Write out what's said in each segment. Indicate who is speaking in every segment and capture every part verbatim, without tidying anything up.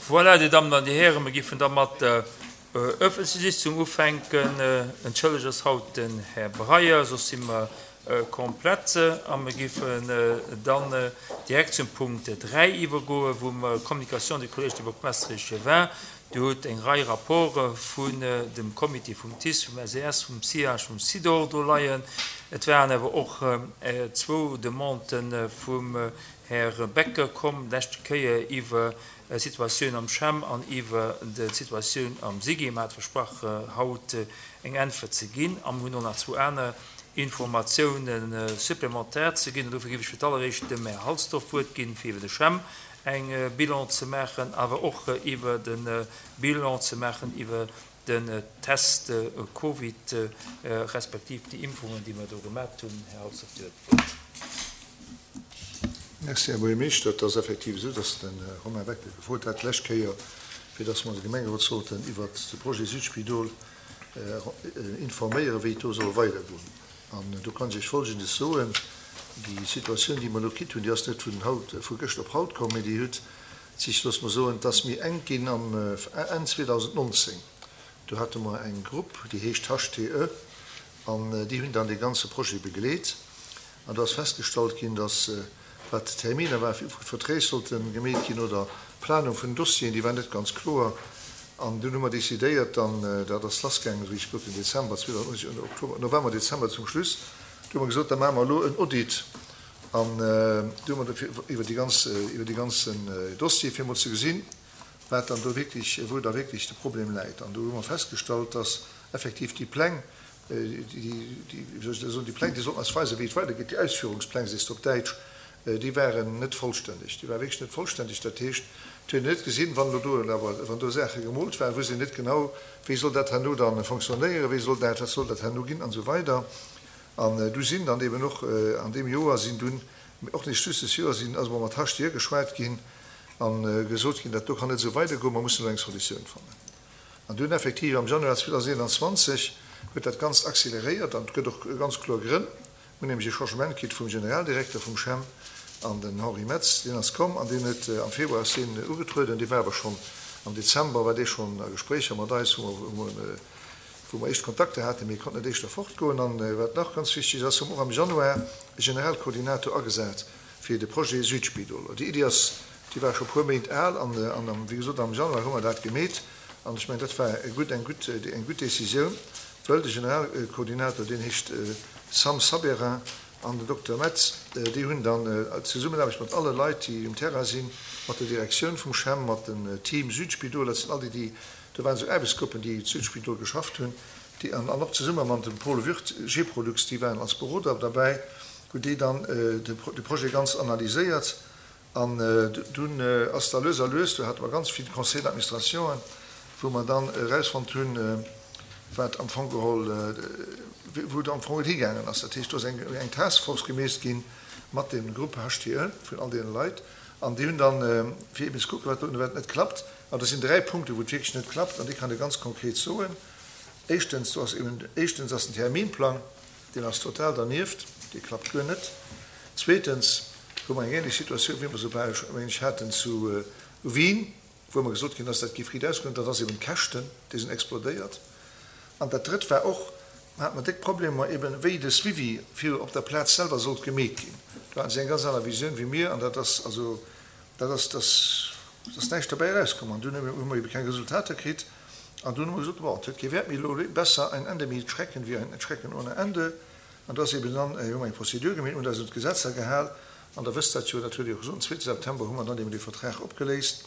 Speaker 1: Voilà, Dir Dammen an Dir Hären, mir géifen da mat der öffentlecher Sitzung ufänken. Entschëllegt ass haut den Här Breyer, soss si mer komplett. A mir géifen dann direkt zum Punkt dräi iwwergoen, wou mer Communication du Collège des bourgmestres échevins. Dir hutt eng Rei Rapporte vun dem Comité vum TICE, vum S E S, vum C I A G, vum SIDOR do leien. Et waren awer och zwou Demanden vum Här Becker komm, leschte Kéier iwwer d'Situatioun am CHEM an iwwer d'Situatioun am SIGI. Mir hate versprach, haut eng Äntwert ze ginn, a mir hunn och nach zwou aner Informatiounen supplémentaires ze ginn. An dofir géif ech fir d'alleréischt dem Här Halsdorf d'Wuert ginn, fir iwwer de CHEM eng Bilan ze maachen, awer och iwwer de Bilan ze maachen iwwer den Test Covid respektiv déi Impfungen, déi mer do gemaach hunn. Här Halsdorf, Dir hutt d'Wuert.
Speaker 2: Merci, Här Buergermeeschter. Et ass effektiv esou, dass de Romain Becker gefrot hat d'lescht Kéier, fir dass mer de Gemengerot sollten iwwert de Projet Südspidol informéieren, wéi et do soll weidergoen. An do kann ech Iech Folgendes soen: Déi Situatioun, déi mer elo kritt hunn, déi ass net vun haut, vu gëscht op haut komm, mee déi huet sech, loosse mer soen, et ass méi enk ginn am Enn zweedausendnonzéng. Do hate mer eng Grupp, déi heescht H T E, an déi hunn dann dee ganze Projet begleet. An do ass festgestallt ginn, dass, wat d'Terminer war, wou d'Verträg sollte gemeet ginn oder d'Planung vun den Dossieren, déi war net ganz kloer. An dunn hu mer decidéiert, dann, dat ass lassgaangen, wéi ech gesot hunn, Dezember zweedausendnonzéng, Oktober, November, Dezember zum Schluss, do hu mer gesot, da maache mer elo en Audit an do hu mer iwwer déi ganz, iwwer déi ganzen Dossier, fir emol ze gesinn, wat dann do wierklech, wou da wierklech de Problem läit. An do hu mer festgestallt, dass effektiv déi Pläng, déi, déi, wéi soll ech dat soen, déi Pläng, déi sollten eis weisen, wéi et weidergeet, déi Ausführungspläng, sees de op Däitsch, déi waren net vollstänneg. Déi ware wierklech net vollstänneg. Dat heescht, et huet een net gesinn, wann elo do awer, wann do Saache gemoolt waren, wusst een net genau, wéi soll dat herno dann fonctionnéieren, wéi soll dat, wat soll dat herno ginn an esou weider. An du sinn dann eben och an deem Joer sinn dunn, och nicht just des Joer, sinn also mat H T E geschwat ginn a gesot ginn, dat do kann net esou weidergoen, mer mussen elo eng Solutioun fannen. An dunn effektiv am Januar zweedausendeenanzwanzeg huet dat Ganzt accéléréiert an et gëtt och ganz kloer Grënn. Mir hunn nämlech e Changement kritt vum Generaldirekter vum CHEM an den Henri Metz, deen ass komm an deen huet am Februar ass deen ugetrueden, dee war awer schonn am Dezember war dee schonn a Gespréicher mat eis, wou mer, wou mer éischt Kontakter haten, mee e konnt net éischter fortgoen. An wat nach ganz wichteg ass, hu mer och am Januar e Generalkoordinator agesat fir de Projet Südspidol. Déi Iddi ass, déi war scho puer Méint al an, an wéi gesot, am Januar hu mer dat gemeet an ech mengen, dat war e gutt, eng gutt, eng gutt Décisioun, wëll de Generalkoordinator, deen heescht Sam Saberin, an den Dokter Metz, déi hunn dann Zesummenaarbecht mat alle Leit, déi um Terrain sinn, mat der Direktioun vum CHEM, mat dem Team Südspidol, dat sinn all déi, déi do waren esou Aarbechtsgruppen, déi d'Südspidol geschafft hunn, déi an och zesumme mat dem Paul Würth, Geprolux, déi waren als Beroder derbäi, hunn déi dann de Projet ganz analyséiert. An dunn ass da lues a lues, do hate mer ganz vill Conseils d'administrationen, wou mer dann erausfonnt hunn, wat am Fong geholl, wou et am Fong higaangen ass. Dat heescht, do ass eng, eng Taskforce gemeet ginn mat dem Grupp H T E vun all deene Leit an déi hunn dann, fir eben ze kucken, wat do wat net klappt. An dat sinn dräi Punkte, wou et wierklech net klappt an déi kann ee ganz konkret soen. Éischtens, do ass eben, éischtens ass den Terminplang, deen ass total dernieft, dee klappt guer net. Zweetens hu mer eng ähnlech Situatioun, wéi mer se bal ähnlech haten zu Wien, wou mer gesot ginn ass, dat géif riit ausgoen, dat ass eben d'Käschten, déi sinn explodéiert. An dat Drëtt war och, hat mer déck Problemer eben, wéi de Suivi fir op der Plaz selwer sollt gemeet ginn. Do haten si eng ganz aner Visioun wéi mir an dat ass also, dat ass, dat ass näischt derbäi erauskomm. An dunn hu mer ebe keng Resultater kritt an dunn hu mer gesot, bon, et huet kee Wäert méi elo, besser ein Ende mit Schrecken wie ein Schrecken ohne Ende. An do ass eben dann, hu mer eng Prozedur gemeet, hunn eis un d'Gesetzer gehal an der wësst dat jo, dat hutt Dir och gesot, am zweete September hu mer dann eben dee Vertrag opgeléist.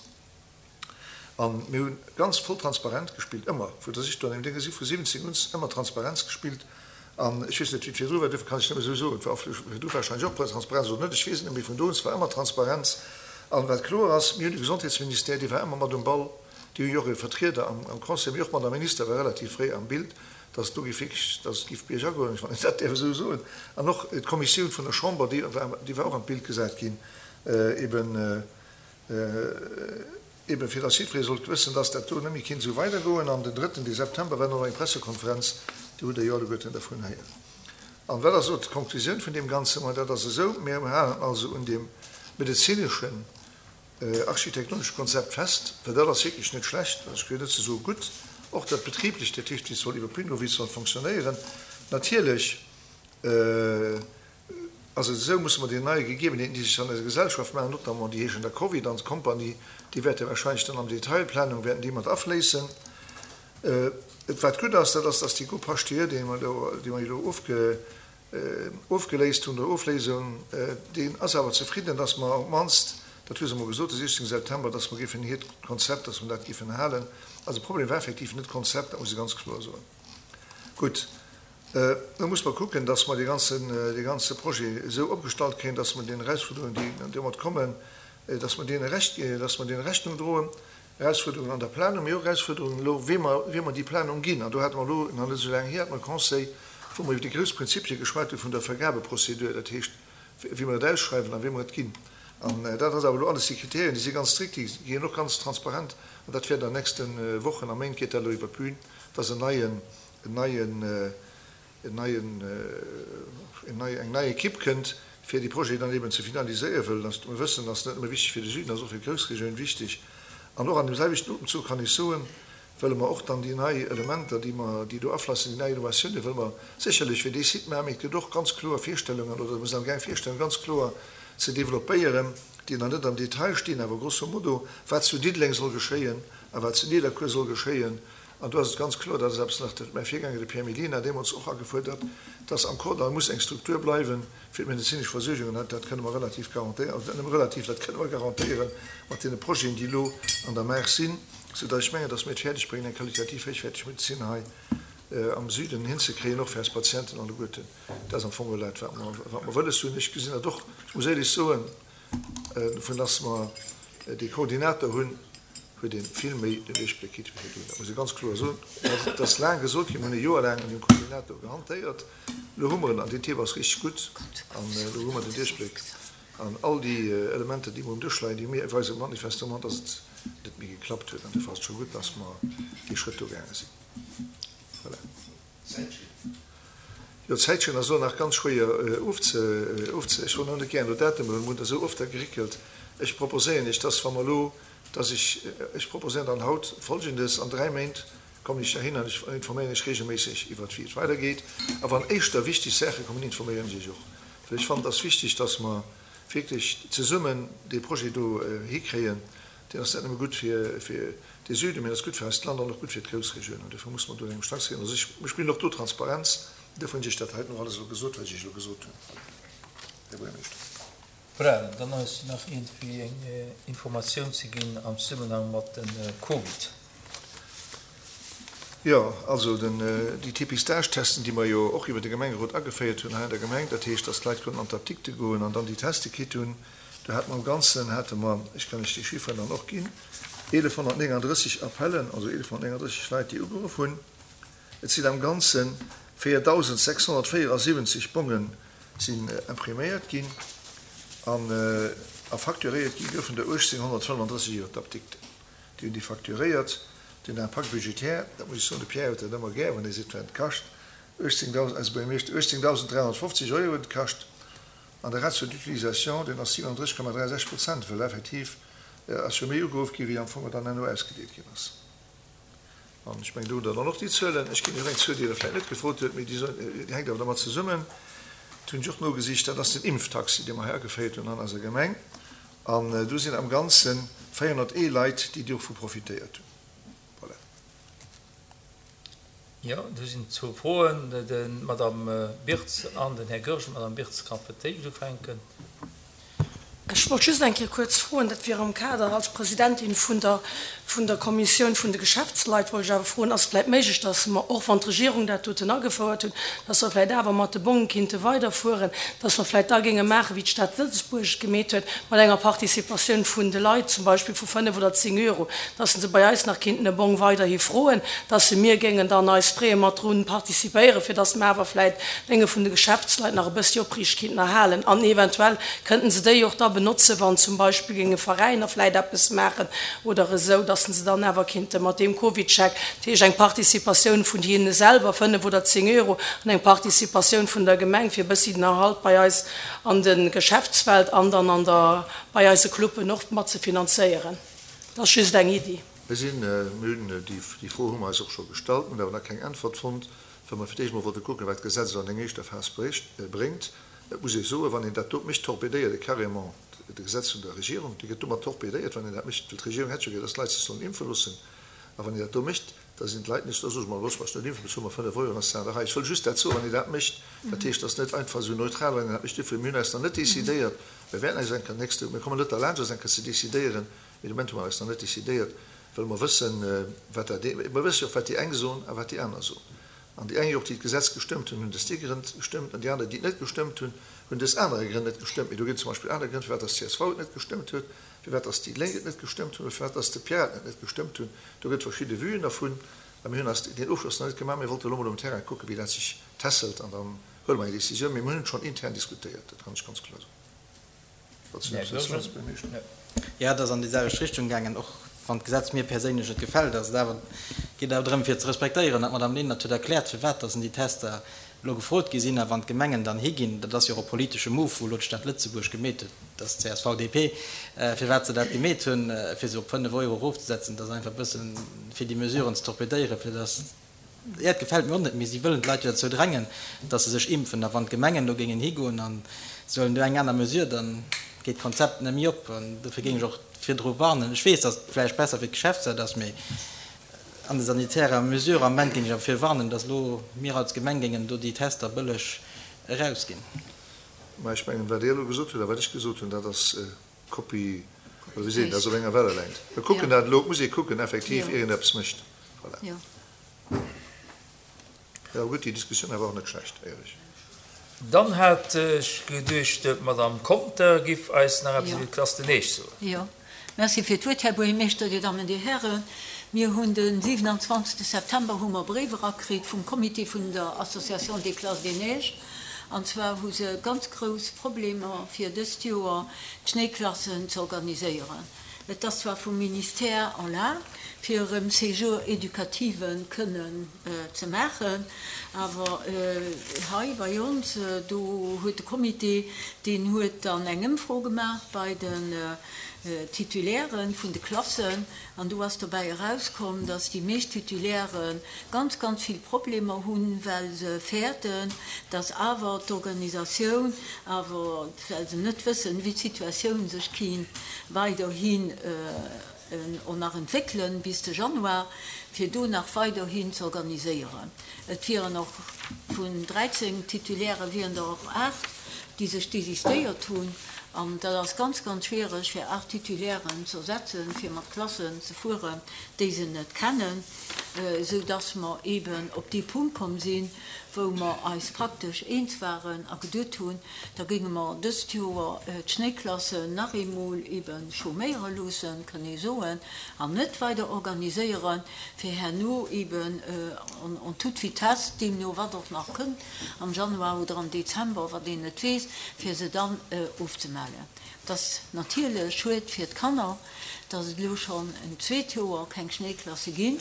Speaker 2: An mir hunn ganz voll transparent gespillt, ëmmer, vu der ech do an deem Déng si vu siwwenzéng un ëmmer Transparenz gespillt. An ech weess net, wéi et virdru war, duerfir kann ech net méi esou soen, et war virdru warscheinlech och Transparenz oder net, ech weess et net, mee vun do un, et war ëmmer Transparenz. An wat kloer ass, mir hunn de Gesondheetsministère, dee war ëmmer mat um Ball, déi hu jo och e Vertrieder am, am Conseil, mee och d'Madame Minister war relativ fréi am Bild, dass et do géif wierklech, dass et géif biergagoen, wann een dat däerf esou soen. An och d'Kommissioun vun der Chamber, déi war, déi war och an d'Bild gesat ginn, eben, eben fir dass jiddweree sollt wëssen, dass dat do net méi kinnt esou weidergoen. An den drëtten de September war noch eng Pressekonferenz, do hutt Der jo alleguerten dervun héieren. An wat ass elo d'Konklusioun vun deem Ganzen? Ma dat ass esou, mir halen also un deem medezineschen architektonesche Konzept fest, well dat ass wierklech net schlecht, ech gehéier net ze soe gutt, och dat betrieblecht, dat heescht, wéi et soll iwwer d'Bün goen, wéi et soll fonctionnéieren. Natierlech ass et esou, musse mer déi neie Gegebenheeten, déi sech an eiser Gesellschaft maachen, notamment déi heeschen da Covid an Compagnie, déi wäerte wahrscheinlech dann am Detailplanung wäerten déi mat afléissen. Et wat gutt ass, dat ass, dass déi Groupe HTE, déi mer elo, déi mer elo ofge, ofgeléist hunn oder ofléisen, deen ass awer zefridden, dass mer op d'mannst, dat hu se emol gesot, de sichzéngte September, dass mer géifen hiert Konzept, dass mer dat géifen halen. Also de Problem war effektiv net d'Konzept, dat muss ee ganz kloer soen. Gutt, elo muss mer kucken, dass mer dee ganzen, dee ganze Projet esou opgestallt kréien, dass mer den Erausfuerderungen, déi domat kommen, dass mer deene Recht, dass mer deene Rechnung droen. Erausfuerderungen an der Planung, mee och Erausfuerderungen elo, wéi mer, wéi mer déi Planung ginn. An do hate mer elo, nach net esou laang hier, hate mer e Conseil, wou mer iwwer déi grouss Prinzipie geschwat hu vun der Vergabeprozedur, dat heescht, wéi mer et ausschreiwen a wéi mer et ginn. An dat ass awer elo alles, déi Kriterien, déi si ganz strikt, déi ginn och ganz transparent. An dat wäert an den nächste Wochen a Méint geet dat elo iwwer d'Bün, dass en neien, en neien, en neien, en nei, eng nei Ekipp kënnt, fir déi Projeten dann eben ze finaliséieren, wëll dass mer wëssen, dass net nëmme wichteg fir de Süden, ass och fir d'Groussregioun wichteg. An och an deem selwechten Otemzuch kann ech soen, wëlle mer och dann déi nei Elementer, déi mer, déi do aflassen, déi nei Innovatiounen, wëlle mer sécherlech fir dee Site maachen, mee et gëtt och ganz kloer Virstellungen, oder mer sinn amgaang Virstellungen ganz kloer ze développéieren, déi nach net am Detail stinn, awer grosso modo, wat zu Diddeleng soll geschéien a wat zu Nidderkuer soll geschéien. An do ass et ganz kloer, dat ass eppes nach, dat huet mäi Virgänger, de Pierre Mellina, deemools och agefuerdert, dass am Kordall muss eng Struktur bleiwen fir d'medezinesch Versuergung. An dat kënne mer relativ garantéieren, also net nëmme relativ, dat kënne mer garantéieren mat deene Projeten, déi elo an der Maach sinn, soudass ech mengen, dass mir et fäerdeg bréngen, eng qualitativ héichwäerteg Medezin hei am Süden hinzekréien, och fir eis Patienten alleguerten. Dat ass am Fong geholl dat, wat mer, wat mer wëlles hunn. Ech gesinn dat och, ech muss éierlech soen, vu dass mer dee Koordinator hunn, huet ee vill méi den Duerchbléck kritt wéi virdrun. Dat muss ee ganz kloer soen. Et ass laang gesot ginn, mir hunn e Joer laang un deem Koordinator gehantéiert. Elo hu mer en an deen Thema ass richteg gutt an elo hu mer den Duerchbléck an all déi Elementer, déi mer um Dësch leien, déi mir weise manifestement, dass et net méi geklappt huet. An dofir ass et scho gutt, dass mer dee Schrëtt do gaange sinn. Voilà. Jo, d'Zäitschinn ass elo nach ganz schwéier ofze, ofze, ech wollt elo net gären elo Datumer, well mir hunn der esou oft da geréckelt. Ech proposéieren Iech, dass wa mer elo, dass ech, ech proposéieren dann haut Folgendes, An dräi Méint kommen ech heihin an ech informéieren Iech regelméisseg iwwert wéi et weidergeet. A wann éischter wichteg Saache kommen, informéieren ech Iech och. Well ech fannen, et ass wichteg, dass mer wierklech zesummen dee Projet do hikréien. Deen ass net nëmme gutt fir, fir de Süden, mee en ass gutt fir eist Land an och gutt fir d'Groussregioun. An dofir muss mer do un engem Strang zéien. Also ech, ech spillen och do Transparenz. Dofir hunn ech Iech dat heiten och alles elo gesot, wat ech Iech elo gesot hunn, Här Buergermeeschter.
Speaker 1: Voilà, dann ass nach iergendwéi eng Informatioun ze ginn am Zesummenhang mat dem Covid.
Speaker 2: Jo, also den, déi Dépistage-Testen, déi mer jo och iwwer de Gemengerot ageféiert hunn hei an der Gemeng, dat heescht, dass d'Leit konnten an d'Apdikte goen an dann déi Teste kritt hunn, do hate mer am Ganzen, hate mer, ech kann lech déi Chifferen dann och ginn, eelefhonnertnénganddrësseg Appellen, also eelefhonnertnénganddrësseg Leit, déi ugeruff hunn. Et sinn am Ganze véiertausendsechshonnertvéierasiwwenzeg Bonge sinn impriméiert ginn an a facturéiert gi goufen der uechtzénghonnertfënnefandrësseg iwwer d'Apdikten. Déi hunn déi facturéiert. Den Impact budgétaire, dat muss ech soen, de Pierre huet dat ëmmer gär, wann hie seet, wat et kascht, uechtzéngdausend, eise Buergermeeschter, uechtzéngdausend dräihonnertfofzeg Euro huet et kascht. An de Ratio d'utilisation, deen ass siwenunddrësseg Komma dräi sechs Prozent, well effektiv ass jo méi ugeruff gi wéi am Fong dann herno ausgedeelt ginn ass. An ech mengen, do hutt Der dann och déi Zuelen. Ech ginn Iech och eng Zuel, déi Der vläicht net gefrot hutt, mee déi hänkt awer dermat zesummen, dat hunn ech och nogesicht, dat ass den Impftaxi, dee mer hei ageféiert hunn an eiser Gemeng. An do sinn am Ganze véierhonnertee Leit, déi dovu profitéiert hunn. Voilà.
Speaker 1: Jo, do sinn zwou Froen, d'Madame Birtz an den Här Goergen. D'Madame Birtz ka fir d'éischt ufänken.
Speaker 3: Ech wollt just eng Kéier kuerz froen, dat wier am Kader als Presidentin vun der, vun der Kommissioun vun de Geschäftsleit, wollt ech awer froen, ass et vläicht méiglech, dass mer, och wann d'Regierung dat doten agefouert huet, dass mer vläicht awer mat de Bonge kinnte weiderfueren, dass mer vläicht da géinge maachen, wéi d'Stad Lëtzebuerg et gemeet huet, mat enger Participatioun vun de Leit, zum Beispill vu fënnef oder zéng Euro, dass se bei eis nach kinnten e Bong weiderhi froen, dass se mir géingen dann eis freeë mat drun participéieren, fir dass mer awer vläicht d'Dénge vun de Geschäftsleit nach e bëssi opriicht kinnten erhalen an eventuell kënnten se déi och da benotzen, wann zum Beispill géinge Veräiner vläit eppes maachen oder esou, dass se dann awer kinnte mat deem CovidCheck, dat heescht eng Participatioun vun hinne selwer, fënnef oder zéng Euro, an eng Participatioun vun der Gemeng, fir e bëssi den Erhalt bei eis an de Geschäftswelt an dann an der, bei eise Cluben och mat ze finanzéieren. Dat ass just eng Iddi.
Speaker 2: Mir sinn, mir hunn déi, déi Fro hu mer eis och scho gestallt, mir hunn awer nach keng Äntwert fonnt, well mer fir d'éischt emol wollte kucken, wat d'Gesetz elo an eng éischter Phas bréngt. Et muss ee soen, wann een dat do mécht, torpedéiert ee carrément de Gesetz vun der Regierung. Dee gëtt domat torpedéiert, wann een dat mécht, well d'Regierung hätt jo gär, dass d'Leit sech sollen impfe loossen. A wann een dat do mécht, da sinn d'Leit nees, da soe se mer, looss mer eis net impfen, bezuele mer fënnef Euro, dann ass d'Saach an der Rei. Ech wëll just dat soen, wann een dat mécht, dat heescht, dat ass net einfach esou neutral, wann een dat mécht. Duerfir, mir hunn eis nach net decidéiert, mir wäerten eis eng Kéier nächste, mir kommen net derlaanscht, eis eng Kéier ze decidéieren, mee de Moment hu mer eis nach net decidéiert, well mer wëssen, wat dat, mer wësse jo och, wat déi eng soen a wat déi aner soen. An déi eng jo och, déi d'Gesetz gestëmmt hunn, hunn des déi Grënn gestëmmt, an déi aner, déi et net gestëmmt hunn, hunn des anere Grënn net gestëmmt. Mee do ginn et zum Beispill aner Grënn, firwat dass d'CSV et net gestëmmt huet, firwat dass déi Lénk et net gestëmmt hunn oder firwat dass d'Piraten et net gestëmmt hunn. Do gëtt et verschidde Vuen dervun. A mir hunn eis deen Ofschloss nach net gemaach. Mir wollte elo mol um Terrain kucken, wéi dat sech tässelt, an dann huele mer eng Décisioun. Mee mir hunn et schonn intern diskutéiert, dat kann ech ganz kloer soen.
Speaker 4: Jo, et ass an déi selwecht Richtung gaangen, och wann d'Gesetz mir perséinlech net gefält, ass et awer, geet awer drëm fir ze respektéieren, an d'Madame Lenert huet erkläert, firwat dass déi Tester elo gefrot gi sinn. A wann d'Gemengen dann higinn, dat ass jo och e politesche Move, wou elo d'Stad Lëtzebuerg gemeet huet, dass csv, DP, firwat se dat gemeet hunn, fir se op fënnef Euro erofzesetzen, dat ass einfach e bëssen, fir déi Mesuren ze torpedéieren, fir dass Jo, et gefält mir och net, mee si wëllen d'Leit jo dozou drängen, datt se sech impfen. A wann d'Gemengen do géingen higoen a se huelen do eng aner Mesure, da geet d'Konzept net méi op. An dofir géing ech och virdru warnen. Ech weess, datt et vläicht besser fir d'Geschäftswelt ass, mee an de sanitärer Mesure am Moment géing ech awer vir warnen, datt elo mir als Gemeng géingen do déi Tester bëlleg erausginn.
Speaker 2: Mä ech mengen, wat Dir elo gesot hutt a wat ech gesot hunn, dat ass Copie, oder wéi seet een, dat ass op enger Wellelängt. Mir kucken dat elo, et muss ee kucken effektiv, ier een eppes mécht. Voilà. Jo, gutt, déi Diskussioun awer och net schlecht, éierlech.
Speaker 1: Dann hat ech geduecht, d'Madame Conter giff eis nach eppes iwwer d'Classe de Neige soen.
Speaker 5: Jo, merci fir d'Wuert, Här Buergermeeschter, Dir Dammen, Dir Hären. Mir hunn de siwenanzwanzegste September hu mer Bréif erakritt vum Comité vun der Association des Classes des Neiges. An zwar hu se ganz grouss Problemer fir dëst Joer d'Schnéiklassen ze organiséieren. Et ass zwar vum Ministère erlaabt, fir erëm Séjours éducativen kënnen ze maachen, awer hei bei ons, do huet de Comité, deen huet dann eng Ëmfro gemaach bei den Titulairen vun de Klassen, an do ass dobäi erauskomm, dass déi meescht Titulaire ganz, ganz vill Problemer hunn, well se fäerten, dass awer d'Organisatioun awer, well se net wëssen, wéi d'Situatioun sech kinnt weiderhin och nach entwéckelen bis de Januar, fir do nach weiderhin ze organiséieren. Et wieren och vun dräizéng Titulaire wieren der och aacht, déi sech désistéiert hunn. An dat ass ganz, ganz schwiereg, fir aacht Titulairen ze ersetzen, fir mat Klassen ze fueren, déi se net kennen, esou dass mer eeben op dee Punkt komm sinn, wou mer eis praktesch eens waren a geduet hunn, da géinge mer dëst Joer d'Schnéiklassen nach eemol eebe chôméiere loossen, kënn ee soen, an net weider organiséieren, fir herno eeben en toute vitesse, deemno wat och nach kënnt am Januar oder am Dezember, wat een net weess, fir se dann ofzemellen. Et ass natierlech schued fir d'Kanner, dass et elo schonn en zweet Joer keng Schnéiklasse ginn.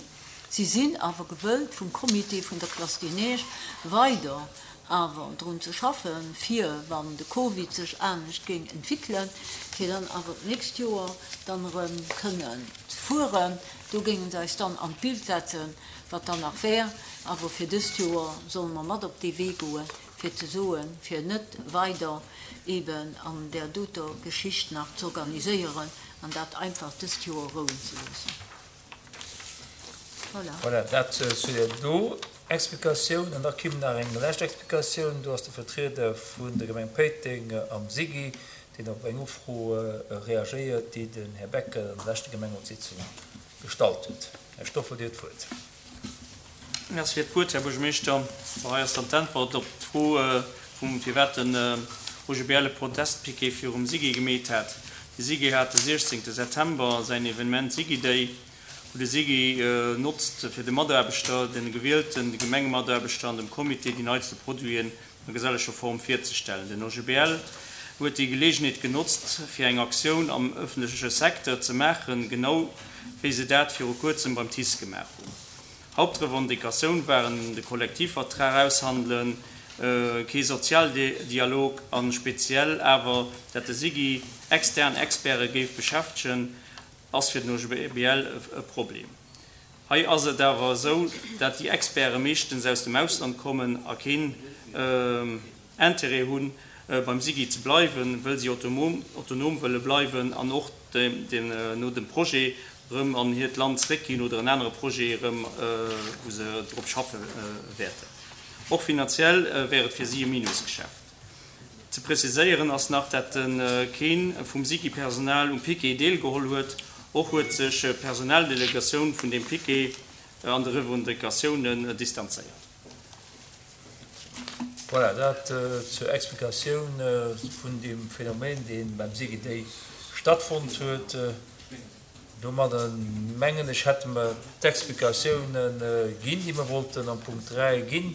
Speaker 5: Si sinn awer gewëllt vum Comité vun der Classe des Neiges weider awer drun ze schaffen, fir, wann de Covid sech anescht géing entwéckelen, fir dann awer d'nächst Joer dann erëm kënnen ze fueren. Do géinge se eis dann an d'Bild setzen, wat dann nach wär. Awer fir dëst Joer solle mer mat op dee Wee goen, fir ze soen, fir net weider eeben an där doter Geschicht nach z'organiséieren an dat einfach dëst Joer rouen ze loossen. Voilà.
Speaker 1: Voilà, dat zu där do Explikatioun. An da kimm nach eng lescht Explikatioun. Do ass de Vertrieder vun der Gemeng Péiteng am SIGI, deen op eng Ufro reagéiert, déi den Här Becker an der leschter Gemengerotssitzung gestallt huet. Här Stoffel, Dir hutt d'Wuert.
Speaker 6: Merci fir d'Wuert, Här Buergermeeschter. Bon, hei ass dann d'Äntwert op d'Fro vum, firwat den O G B L e Protestpiquet virum SIGI gemeet hat. De SIGI hat de siechzéngte September säin Evenement SIGI Day, wou de SIGI notzt, fir de Mataarbechter, de gewielten, de Gemengemataarbechter an dem Comité déi neitste Produiten a geselleger Form virzestellen. Den O G B L huet déi Geleegenheet genotzt, fir eng Aktioun am ëffentleche Secteur ze maachen, genau wéi se dat viru kuerzem beim TICE gemaach hunn. Hauptrevendicatioun waren de Kollektivvertrag aushandelen, kee Sozialdialog a speziell awer, dat de SIGI extern Experte géif beschäftegen, ass fir den O G B L e Problem. Hei ass et awer esou, dat déi Experte meeschtens aus dem Ausland kommen a keen Interêt hunn, beim SIGI ze bleiwen, wëll si autonom wëlle bleiwen an och no dem Projet erëm an hiert Land zréckginn oder en anere Projet erëm, wou se drop schaffe wäerten. Och finanziell wär et fir si e Minusgeschäft. Ze preziséieren ass nach, dat keen vum SIGI-Personal um Piquet deelgeholl huet. Och huet sech d'Personaldelegatioun vun deem Piquet an de Revendicatiounen distanzéiert.
Speaker 1: Voilà, dat zur Explikatioun vun deem Phänomen, dee beim SIGI stattfonnt huet. Domadder mengen ech, hätte mer d'Explikatiounen ginn, déi mer wollten am Punkt dräi ginn.